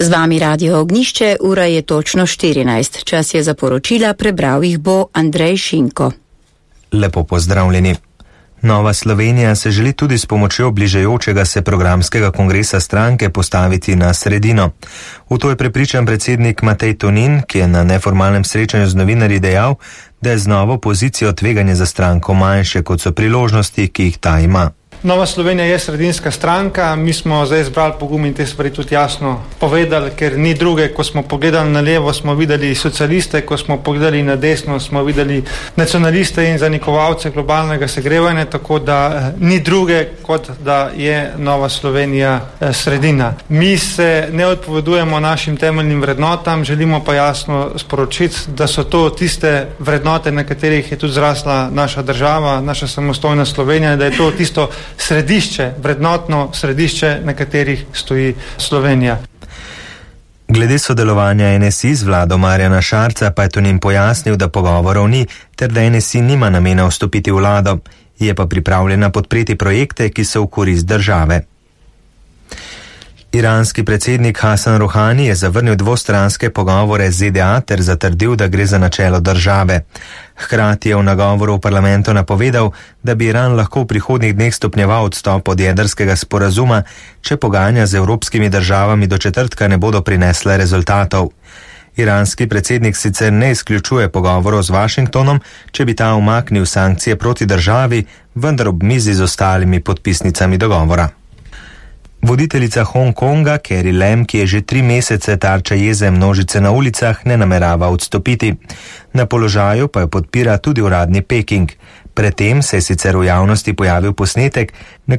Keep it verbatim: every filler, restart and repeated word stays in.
Z vami Radio Ognišče, ura je točno štirinajst. Čas je za poročila, prebral jih bo Andrej Šinko. Lepo pozdravljeni. Nova Slovenija se želi tudi s pomočjo bližajočega se programskega kongresa stranke postaviti na sredino. V to je prepričan predsednik Matej Tonin, ki je na neformalnem srečanju z novinarji dejal, da je z novo pozicijo tveganje za stranko manjše, kot so priložnosti, ki jih ta ima. Nova Slovenija je sredinska stranka, mi smo zdaj zbrali pogum in te stvari tudi jasno povedali, ker ni druge. Ko smo pogledali na levo, smo videli socialiste, ko smo pogledali na desno, smo videli nacionaliste in zanikovalce globalnega segrevanja, tako da ni druge, kot da je Nova Slovenija sredina. Mi se ne odpovedujemo našim temeljnim vrednotam, želimo pa jasno sporočiti, da so to tiste vrednote, na katerih je tudi zrasla naša država, naša samostojna Slovenija, da je to tisto središče, vrednotno središče, na katerih stoji Slovenija. Glede sodelovanja N S I z vlado Marjana Šarca pa je Tonin pojasnil, da pogovorov ni, ter da N S I nima namena vstopiti v vlado, je pa pripravljena podpreti projekte, ki so v korist države. Iranski predsednik Hasan Rohani je zavrnil dvostranske pogovore z Z D A ter zatrdil, da gre za načelo države. Hkrati je v nagovoru v parlamentu napovedal, da bi Iran lahko v prihodnjih dneh stopnjeval odstop od jedrskega sporazuma, če pogajanja z evropskimi državami do četrtka ne bodo prinesle rezultatov. Iranski predsednik sicer ne izključuje pogovorov z Washingtonom, če bi ta umaknil sankcije proti državi, vendar ob mizi z ostalimi podpisnicami dogovora. Voditeljica Hongkonga Carrie Lam, ki je že tri mesece tarča jeze množice na ulicah, ne namerava odstopiti. Na položaju pa jo podpira tudi uradni Peking. Predtem se je sicer v javnosti pojavil posnetek, na